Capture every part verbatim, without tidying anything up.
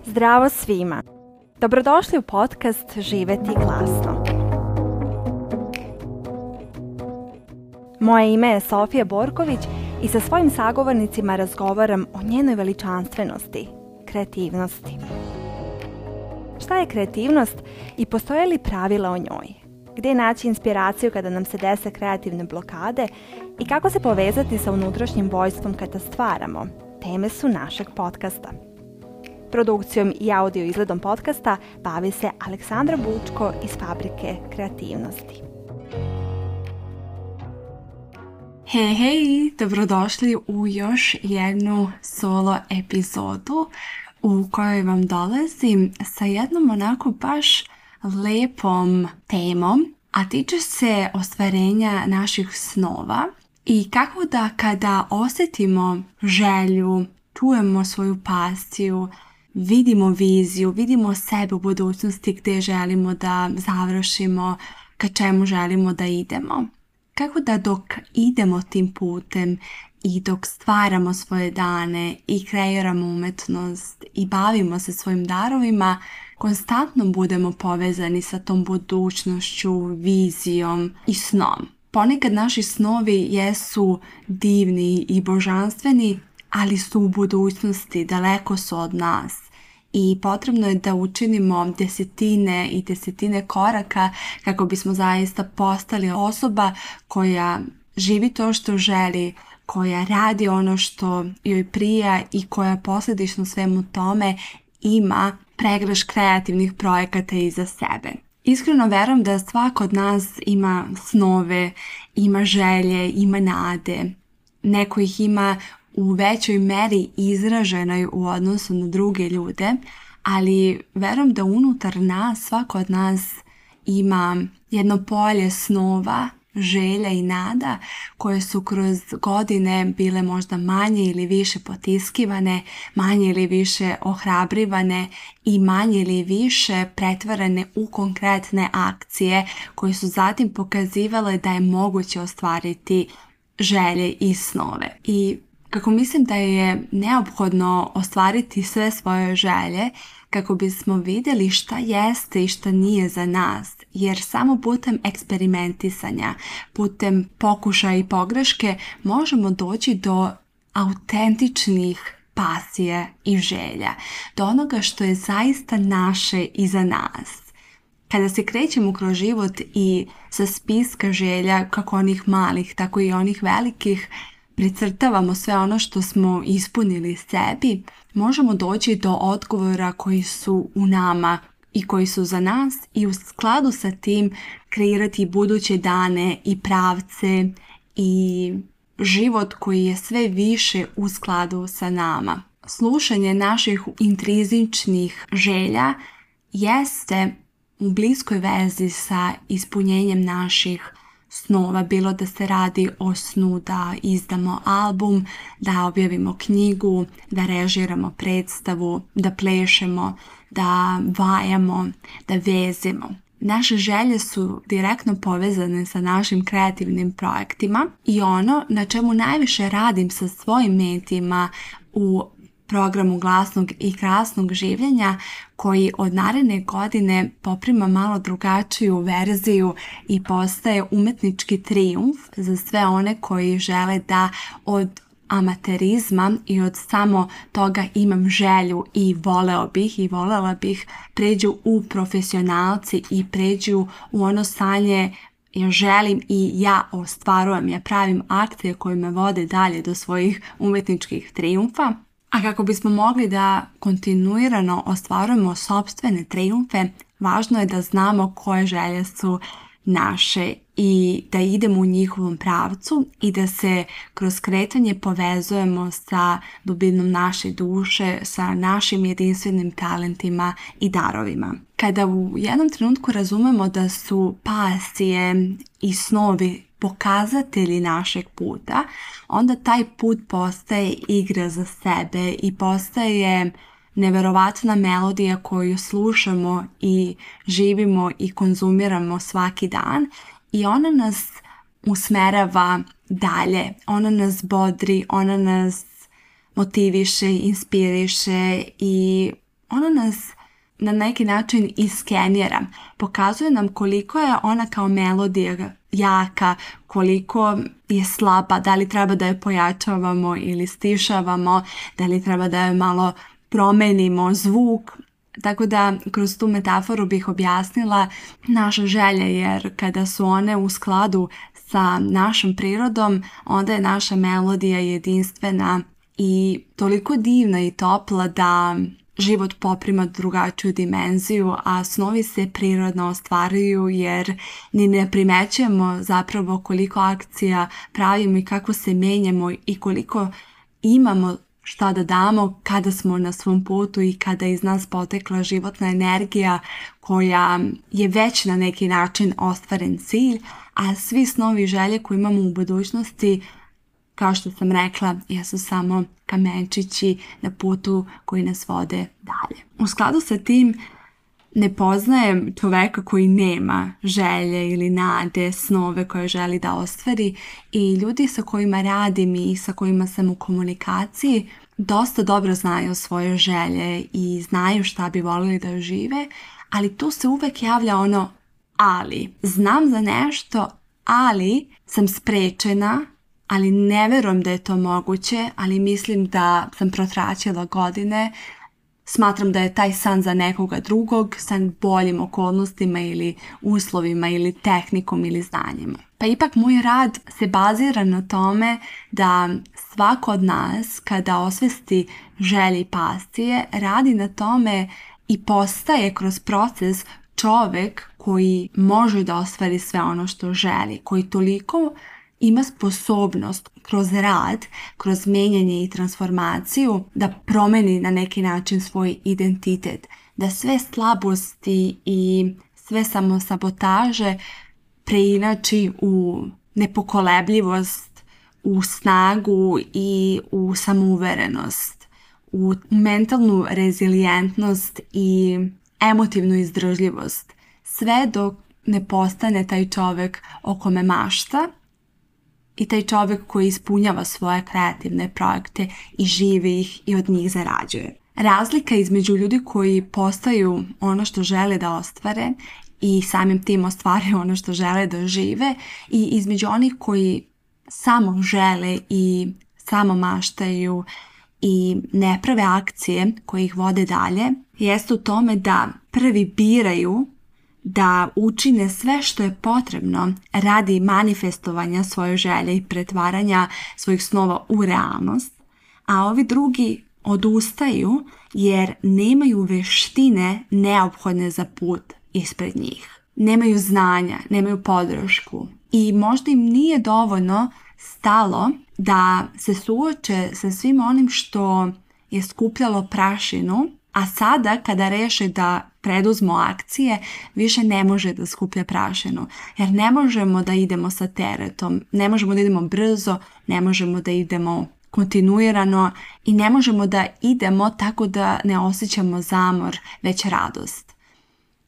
Zdravo svima! Dobrodošli u podcast Živjeti glasno. Moje ime je Sofija Borković i sa svojim sagovornicima razgovaram o njenoj veličanstvenosti, kreativnosti. Šta je kreativnost i postoje li pravila o njoj? Gdje naći inspiraciju kada nam se dese kreativne blokade i kako se povezati sa unutrašnjim vojstvom kada stvaramo? Teme su našeg podcasta. Produkcijom i audio izgledom podcasta bavi se Aleksandra Bučko iz Fabrike kreativnosti. Hej, hej, dobrodošli u još jednu solo epizodu u kojoj vam dolazim sa jednom onako baš lepom temom, a tiče se ostvarenja naših snova i kako da kada osjetimo želju, čujemo svoju pasiju, vidimo viziju, vidimo sebe u budućnosti gdje želimo da završimo, ka čemu želimo da idemo. Kako da dok idemo tim putem i dok stvaramo svoje dane i kreiramo umetnost i bavimo se svojim darovima, konstantno budemo povezani sa tom budućnošću, vizijom i snom. Ponekad naši snovi jesu divni i božanstveni, ali su u budućnosti, daleko su od nas. I potrebno je da učinimo desetine i desetine koraka kako bismo zaista postali osoba koja živi to što želi, koja radi ono što joj prija i koja posljedično svemu tome ima pregrš kreativnih projekata iza sebe. Iskreno verujem da svako od nas ima snove, ima želje, ima nade. Neko ih ima u većoj meri izraženoj u odnosu na druge ljude, ali verujem da unutar nas, svako od nas ima jedno polje snova, želja i nada koje su kroz godine bile možda manje ili više potiskivane, manje ili više ohrabrivane i manje ili više pretvarane u konkretne akcije koje su zatim pokazivale da je moguće ostvariti želje i snove. I kako mislim da je neophodno ostvariti sve svoje želje kako bismo vidjeli šta jeste i šta nije za nas, jer samo putem eksperimentisanja, putem pokušaja i pogreške možemo doći do autentičnih pasija i želja, do onoga što je zaista naše i za nas. Kada se krećemo kroz život i sa spiska želja, kako onih malih, tako i onih velikih, precrtavamo sve ono što smo ispunili sebi, možemo doći do odgovora koji su u nama i koji su za nas i u skladu sa tim kreirati buduće dane i pravce i život koji je sve više u skladu sa nama. Slušanje naših intrizičnih želja jeste u bliskoj vezi sa ispunjenjem naših snova, bilo da se radi o snu da izdamo album, da objavimo knjigu, da režiramo predstavu, da plešemo, da vajamo, da vezimo. Naše želje su direktno povezane sa našim kreativnim projektima i ono na čemu najviše radim sa svojim mentima u programu glasnog i krasnog življenja koji od naredne godine poprima malo drugačiju verziju i postaje umetnički trijumf za sve one koji žele da od amaterizma i od samo toga imam želju i voleo bih i volela bih pređu u profesionalci i pređu u ono stanje ja želim i ja ostvarujem, ja pravim akcije koje me vode dalje do svojih umetničkih trijumfa. A kako bismo mogli da kontinuirano ostvarujemo sopstvene trijumfe, važno je da znamo koje želje su naše i da idemo u njihovom pravcu i da se kroz kretanje povezujemo sa dubinom naše duše, sa našim jedinstvenim talentima i darovima. Kada u jednom trenutku razumemo da su pasije i snovi pokazatelji našeg puta, onda taj put postaje igra za sebe i postaje neverovatna melodija koju slušamo i živimo i konzumiramo svaki dan i ona nas usmerava dalje, ona nas bodri, ona nas motiviše, inspiriše i ono nas na neki način iskenjera. Pokazuje nam koliko je ona kao melodija jaka, koliko je slaba, da li treba da je pojačavamo ili stišavamo, da li treba da je malo promenimo zvuk. Tako da kroz tu metaforu bih objasnila naše želje, jer kada su one u skladu sa našom prirodom, onda je naša melodija jedinstvena i toliko divna i topla da život poprima drugačiju dimenziju, a snovi se prirodno ostvaruju jer ni ne primećujemo zapravo koliko akcija pravimo i kako se menjamo i koliko imamo šta da damo kada smo na svom putu i kada iz nas potekla životna energija koja je već na neki način ostvaren cilj, a svi snovi i želje koje imamo u budućnosti, kao što sam rekla, jesu samo kamenčići na putu koji nas vode dalje. U skladu sa tim ne poznajem čoveka koji nema želje ili nade, snove koje želi da ostvari, i ljudi sa kojima radim i sa kojima sam u komunikaciji dosta dobro znaju svoje želje i znaju šta bi voljeli da žive, ali tu se uvek javlja ono ali. Znam za nešto, ali sam sprečena, ali ne verujem da je to moguće, ali mislim da sam protraćila godine, smatram da je taj san za nekoga drugog, san boljim okolnostima ili uslovima ili tehnikom ili znanjima. Pa ipak moj rad se bazira na tome da svako od nas kada osvesti želje i pasije radi na tome i postaje kroz proces čovjek koji može da ostvari sve ono što želi, koji toliko ima sposobnost kroz rad, kroz menjanje i transformaciju da promeni na neki način svoj identitet, da sve slabosti i sve samosabotaže preinači u nepokolebljivost, u snagu i u samouverenost, u mentalnu rezilijentnost i emotivnu izdržljivost. Sve dok ne postane taj čovjek o kome mašta i taj čovjek koji ispunjava svoje kreativne projekte i živi ih i od njih zarađuje. Razlika između ljudi koji postaju ono što žele da ostvare i samim tim ostvaraju ono što žele da žive i između onih koji samo žele i samo maštaju i ne prave akcije koje ih vode dalje, jeste u tome da prvi biraju da učine sve što je potrebno radi manifestovanja svoje želje i pretvaranja svojih snova u realnost, a ovi drugi odustaju jer nemaju veštine neophodne za put ispred njih. Nemaju znanja, nemaju podršku i možda im nije dovoljno stalo da se suoče sa svim onim što je skupljalo prašinu, a sada kada reše da preduzmu akcije, više ne može da skuplja prašinu. Jer ne možemo da idemo sa teretom, ne možemo da idemo brzo, ne možemo da idemo kontinuirano i ne možemo da idemo tako da ne osjećamo zamor, već radost.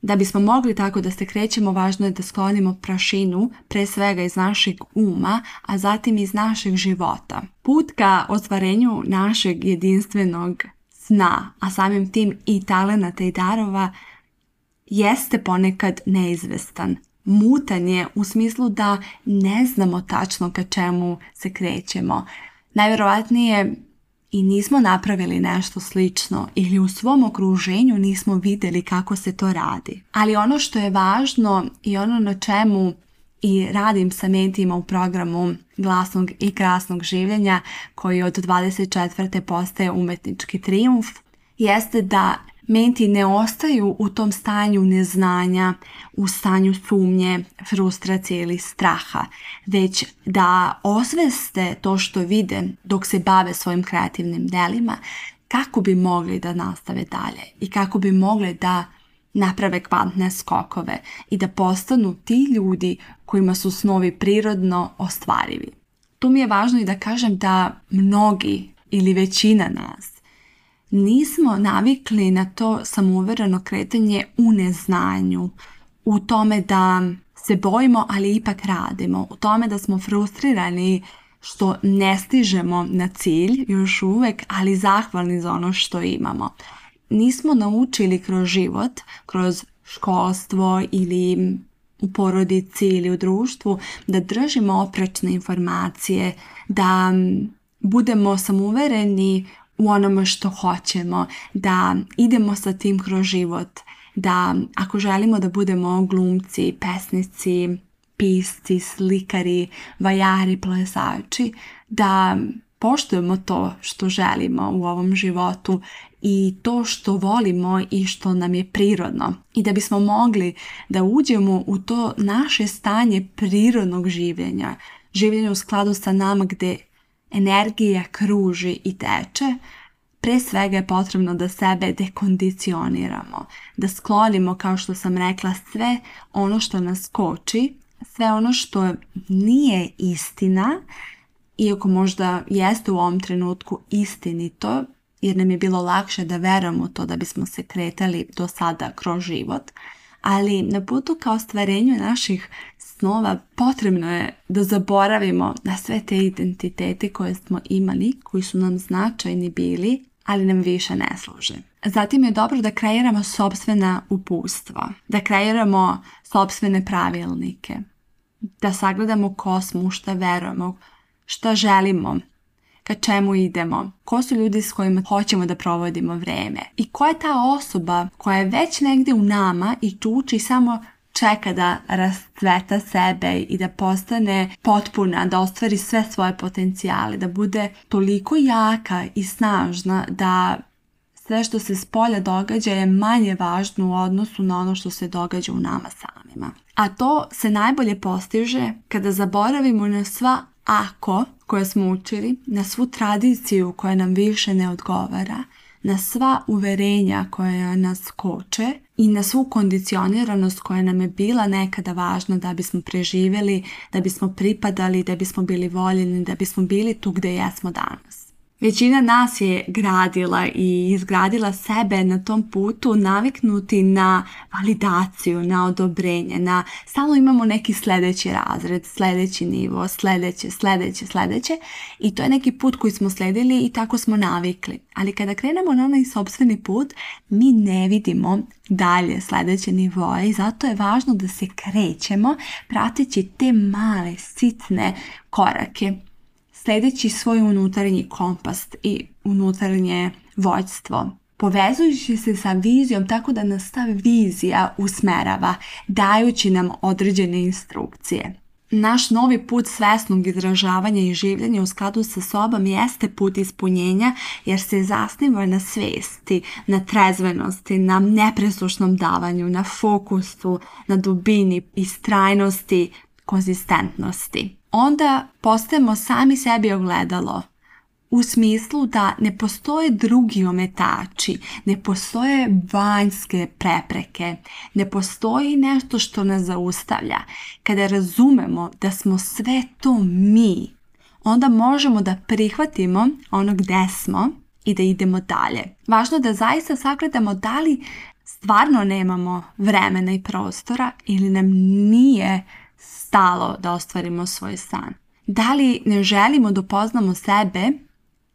Da bismo mogli tako da se krećemo, važno je da sklonimo prašinu, pre svega iz našeg uma, a zatim iz našeg života. Put ka ostvarenju našeg jedinstvenog sna, a samim tim i talenata i darova, jeste ponekad neizvestan. Mutan je u smislu da ne znamo tačno ka čemu se krećemo. Najvjerovatnije i nismo napravili nešto slično ili u svom okruženju nismo vidjeli kako se to radi. Ali ono što je važno i ono na čemu i radim sa mentima u programu Glasnog i krasnog življenja, koji od dvadeset četvrte postaje umetnički trijumf, jeste da menti ne ostaju u tom stanju neznanja, u stanju sumnje, frustracije ili straha, već da osveste to što vide dok se bave svojim kreativnim delima, kako bi mogli da nastave dalje i kako bi mogli da naprave kvantne skokove i da postanu ti ljudi kojima su snovi prirodno ostvarivi. Tu mi je važno i da kažem da mnogi ili većina nas nismo navikli na to samouvereno kretanje u neznanju, u tome da se bojimo, ali ipak radimo, u tome da smo frustrirani što ne stižemo na cilj još uvek, ali zahvalni za ono što imamo. Nismo naučili kroz život, kroz školstvo ili u porodici ili u društvu da držimo oprečne informacije, da budemo samouvereni u onome što hoćemo, da idemo sa tim kroz život, da ako želimo da budemo glumci, pesnici, pisci, slikari, vajari, plesači, da poštujemo to što želimo u ovom životu i to što volimo i što nam je prirodno. I da bismo mogli da uđemo u to naše stanje prirodnog življenja, življenja u skladu sa nama gdje energija kruži i teče, pre svega je potrebno da sebe dekondicioniramo, da sklonimo, kao što sam rekla, sve ono što nas koči, sve ono što nije istina, iako možda jeste u ovom trenutku istinito, jer nam je bilo lakše da verujemo u to da bismo se kretali do sada kroz život, ali na putu ka ostvarenju naših snova potrebno je da zaboravimo na sve te identitete koje smo imali, koji su nam značajni bili, ali nam više ne služe. Zatim je dobro da kreiramo sopstvena uputstva, da kreiramo sopstvene pravilnike, da sagledamo ko smo, u šta verujemo, šta želimo, ka čemu idemo, ko su ljudi s kojima hoćemo da provodimo vreme i ko je ta osoba koja je već negdje u nama i čuči samo čeka da rascveta sebe i da postane potpuna, da ostvari sve svoje potencijale, da bude toliko jaka i snažna da sve što se s polja događa je manje važno u odnosu na ono što se događa u nama samima. A to se najbolje postiže kada zaboravimo na sva ako koje smo učili, na svu tradiciju koja nam više ne odgovara, na sva uverenja koja nas koče i na svu kondicioniranost koja nam je bila nekada važna da bismo preživjeli, da bismo pripadali, da bismo bili voljeni, da bismo bili tu gdje jesmo danas. Većina nas je gradila i izgradila sebe na tom putu naviknuti na validaciju, na odobrenje, na stalno imamo neki sljedeći razred, sljedeći nivo, sljedeće, sljedeće, sljedeće i to je neki put koji smo slijedili i tako smo navikli. Ali kada krenemo na onaj sopstveni put, mi ne vidimo dalje sljedeće nivoje i zato je važno da se krećemo prateći te male, sitne korake, sljedeći svoj unutarnji kompas i unutarnje vođstvo, povezujući se sa vizijom tako da nas ta vizija usmerava, dajući nam određene instrukcije. Naš novi put svesnog izražavanja i življenja u skladu sa sobom jeste put ispunjenja jer se zasniva na svesti, na trezvenosti, na nepresušnom davanju, na fokusu, na dubini, istrajnosti, konzistentnosti. Onda postajemo sami sebi ogledalo u smislu da ne postoje drugi ometači, ne postoje vanjske prepreke, ne postoji nešto što nas zaustavlja. Kada razumemo da smo sve to mi, onda možemo da prihvatimo ono gde smo i da idemo dalje. Važno je da zaista sagledamo da li stvarno nemamo vremena i prostora ili nam nije stalo da ostvarimo svoj san. Da li ne želimo da upoznamo sebe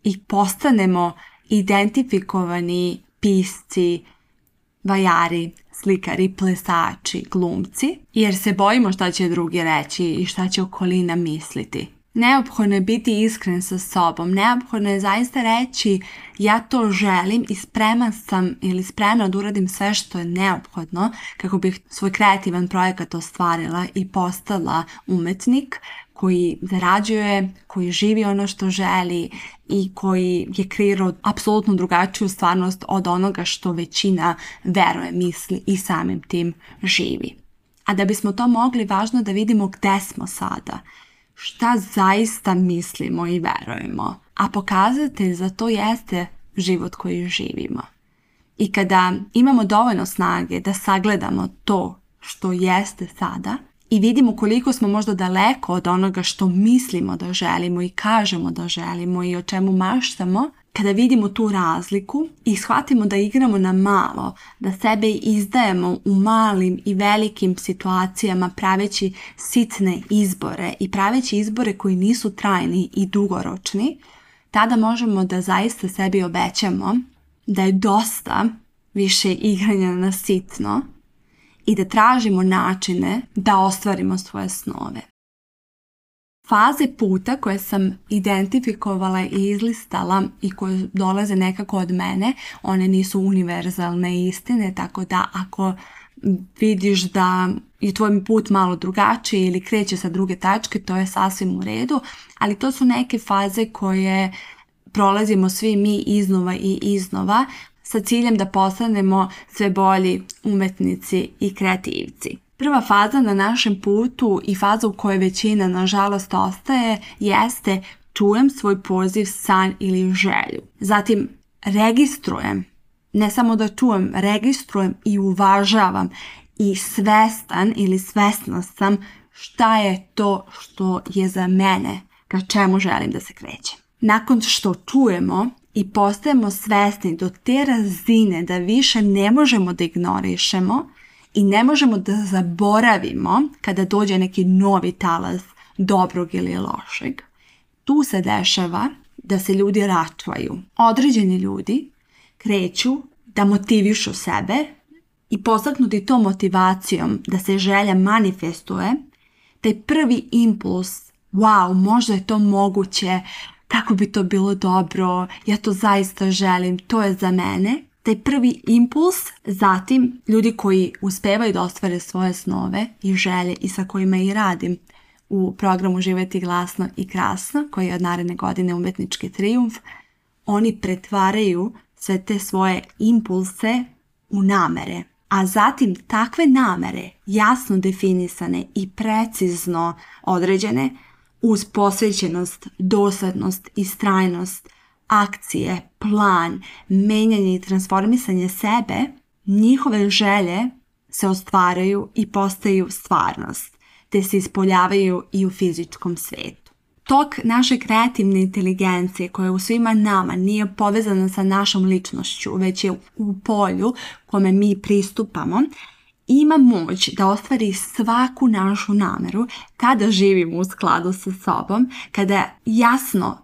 i postanemo identifikovani pisci, vajari, slikari, plesači, glumci, jer se bojimo šta će drugi reći i šta će okolina misliti. Neophodno je biti iskren sa sobom, neophodno je zaista reći ja to želim i spreman sam ili spremna da uradim sve što je neophodno kako bih svoj kreativan projekat ostvarila i postala umetnik koji zarađuje, koji živi ono što želi i koji je kreirao apsolutno drugačiju stvarnost od onoga što većina veruje, misli i samim tim živi. A da bismo to mogli, važno je da vidimo gde smo sada, šta zaista mislimo i verujemo, a pokazatelj za to jeste život koji živimo. I kada imamo dovoljno snage da sagledamo to što jeste sada i vidimo koliko smo možda daleko od onoga što mislimo da želimo i kažemo da želimo i o čemu maštamo, kada vidimo tu razliku i shvatimo da igramo na malo, da sebe izdajemo u malim i velikim situacijama praveći sitne izbore i praveći izbore koji nisu trajni i dugoročni, tada možemo da zaista sebi obećamo da je dosta više igranja na sitno i da tražimo načine da ostvarimo svoje snove. Faze puta koje sam identifikovala i izlistala i koje dolaze nekako od mene, one nisu univerzalne istine, tako da ako vidiš da je tvoj put malo drugačiji ili kreće sa druge tačke, to je sasvim u redu, ali to su neke faze koje prolazimo svi mi iznova i iznova sa ciljem da postanemo sve bolji umetnici i kreativci. Prva faza na našem putu i faza u kojoj većina nažalost ostaje jeste čujem svoj poziv, san ili želju. Zatim registrujem, ne samo da čujem, registrujem i uvažavam i svestan ili svesna sam šta je to što je za mene, ka čemu želim da se krećem. Nakon što čujemo i postajemo svesni do te razine da više ne možemo da ignorišemo i ne možemo da zaboravimo kada dođe neki novi talas dobrog ili lošeg, tu se dešava da se ljudi račvaju. Određeni ljudi kreću da motivišu sebe i postaknuti to motivacijom da se želja manifestuje, taj prvi impuls, wow, možda je to moguće, kako bi to bilo dobro, ja to zaista želim, to je za mene. Taj prvi impuls, zatim ljudi koji uspevaju da ostvare svoje snove i želje i sa kojima i radim u programu Živjeti glasno i krasno, koji je od naredne godine umetnički trijumf, oni pretvaraju sve te svoje impulse u namere. A zatim takve namere, jasno definisane i precizno određene, uz posvećenost, dosadnost, istrajnost, akcije, plan, menjanje i transformisanje sebe, njihove želje se ostvaraju i postaju stvarnost, te se ispoljavaju i u fizičkom svetu. Tok naše kreativne inteligencije koja u svima nama nije povezana sa našom ličnošću, već je u polju kome mi pristupamo, ima moć da ostvari svaku našu nameru kada živimo u skladu sa sobom, kada jasno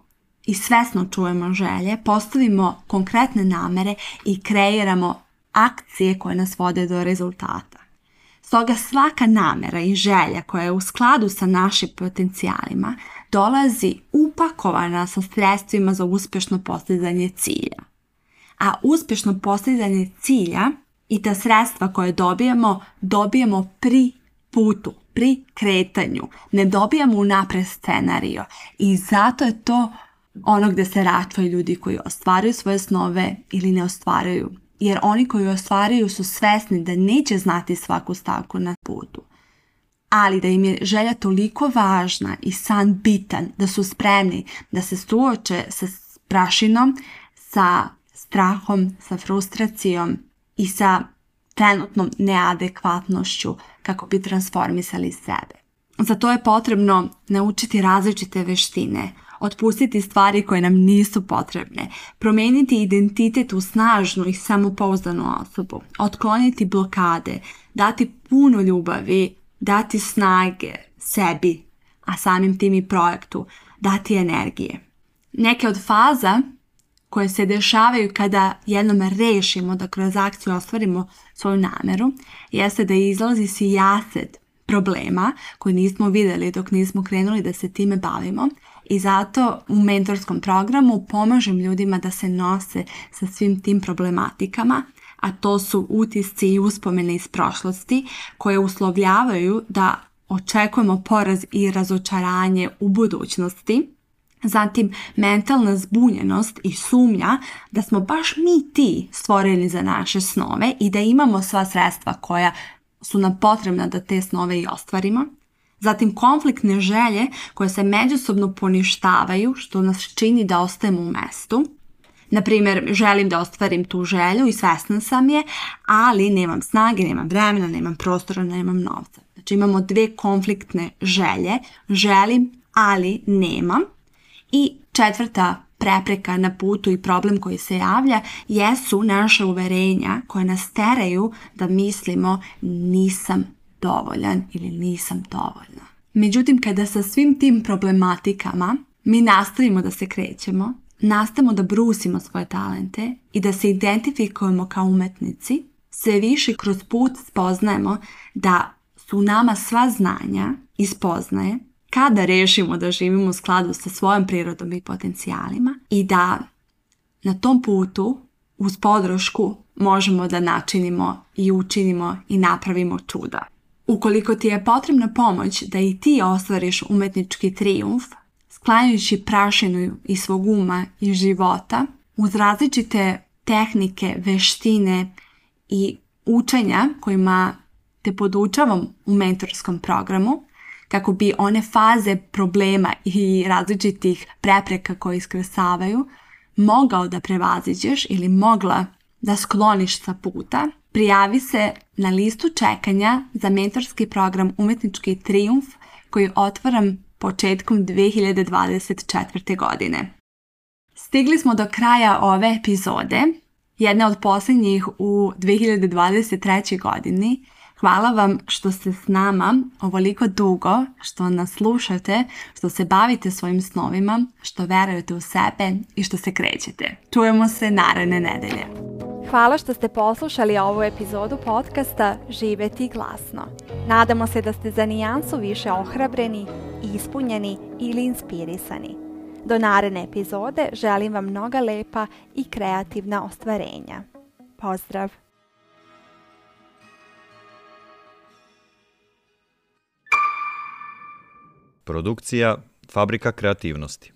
i svesno čujemo želje, postavimo konkretne namere i kreiramo akcije koje nas vode do rezultata. Stoga svaka namera i želja koja je u skladu sa našim potencijalima dolazi upakovana sa sredstvima za uspješno postizanje cilja. A uspješno postizanje cilja i ta sredstva koje dobijemo, dobijemo pri putu, pri kretanju. Ne dobijamo unapred scenario i zato je to ono gdje se račvaju ljudi koji ostvaruju svoje snove ili ne ostvaruju. Jer oni koji ostvaruju su svesni da neće znati svaku stavku na putu. Ali da im je želja toliko važna i san bitan da su spremni da se suoče sa prašinom, sa strahom, sa frustracijom i sa trenutnom neadekvatnošću kako bi transformisali sebe. Za to je potrebno naučiti različite veštine, otpustiti stvari koje nam nisu potrebne, promijeniti identitet u snažnu i samopouzdanu osobu, otkloniti blokade, dati puno ljubavi, dati snage sebi, a samim tim i projektu, dati energije. Neke od faza koje se dešavaju kada jednom rešimo da kroz akciju ostvarimo svoju nameru, jeste da izlazi sijaset problema koje nismo vidjeli dok nismo krenuli da se time bavimo i zato u mentorskom programu pomažem ljudima da se nose sa svim tim problematikama, a to su utisci i uspomene iz prošlosti koje uslovljavaju da očekujemo poraz i razočaranje u budućnosti. Zatim mentalna zbunjenost i sumnja da smo baš mi ti stvoreni za naše snove i da imamo sva sredstva koja su nam potrebna da te snove i ostvarimo. Zatim konfliktne želje koje se međusobno poništavaju što nas čini da ostajemo u mestu. Naprimjer, želim da ostvarim tu želju i svesna sam je, ali nemam snage, nemam vremena, nemam prostora, nemam novca. Znači imamo dve konfliktne želje, želim, ali nemam. I četvrta prepreka na putu i problem koji se javlja jesu naša uverenja koja nas teraju da mislimo nisam dovoljan ili nisam dovoljna. Međutim, kada sa svim tim problematikama mi nastavimo da se krećemo, nastavimo da brusimo svoje talente i da se identifikujemo kao umetnici, sve više kroz put spoznajemo da su u nama sva znanja i spoznaje kada rešimo da živimo u skladu sa svojom prirodom i potencijalima i da na tom putu uz podršku možemo da načinimo i učinimo i napravimo čuda. Ukoliko ti je potrebna pomoć da i ti ostvariš umetnički trijumf, sklanjajući prašinu iz svog uma i života, uz različite tehnike, veštine i učenja kojima te podučavam u mentorskom programu, kako bi one faze problema i različitih prepreka koje iskrsavaju mogao da prevaziđeš ili mogla da skloniš sa puta, prijavi se na listu čekanja za mentorski program Umetnički trijumf koji otvaram početkom dve hiljade dvadeset četvrte. godine. Stigli smo do kraja ove epizode, jedne od posljednjih u dve hiljade dvadeset trećoj. godini. Hvala vam što ste s nama ovoliko dugo, što nas slušate, što se bavite svojim snovima, što verujete u sebe i što se krećete. Čujemo se naredne nedelje. Hvala što ste poslušali ovu epizodu podcasta Živjeti glasno. Nadamo se da ste za nijansu više ohrabreni, ispunjeni ili inspirisani. Do naredne epizode želim vam mnoga lepa i kreativna ostvarenja. Pozdrav! Produkcija Fabrika kreativnosti.